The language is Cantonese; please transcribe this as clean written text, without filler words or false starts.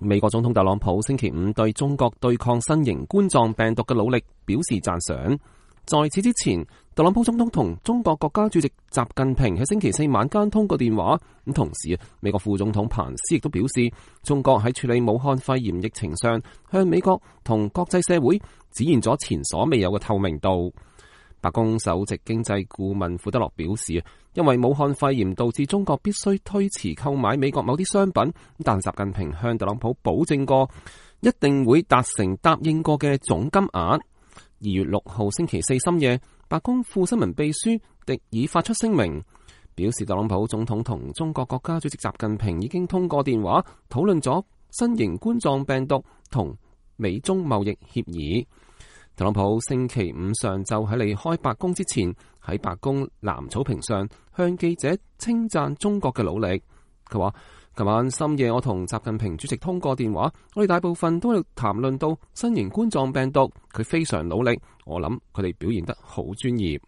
美國總統特朗普星期五對中國對抗新型冠狀病毒嘅努力表示讚賞。在此之前，特朗普總統同中國國家主席習近平喺星期四晚間通過電話。咁同時，美國副總統彭斯亦都表示，中國喺處理武漢肺炎疫情上，向美國同國際社會展現咗前所未有嘅透明度。白宮首席經濟顧問庫德洛表示，因為武漢肺炎導致中國必須推遲購買美國某啲商品，但習近平向特朗普保證過，一定會達成答應過嘅總金額。2月6號星期四深夜，白宮副新聞秘書迪爾發出聲明，表示特朗普總統同中國國家主席習近平已經通過電話討論咗新型冠狀病毒同美中貿易協議。特朗普星期五上晝喺離開白宮之前，喺白宮藍草坪上向記者稱讚中國嘅努力。佢話：琴晚深夜我同習近平主席通過電話，我哋大部分都喺度談論到新型冠狀病毒，佢非常努力，我諗佢哋表現得好專業。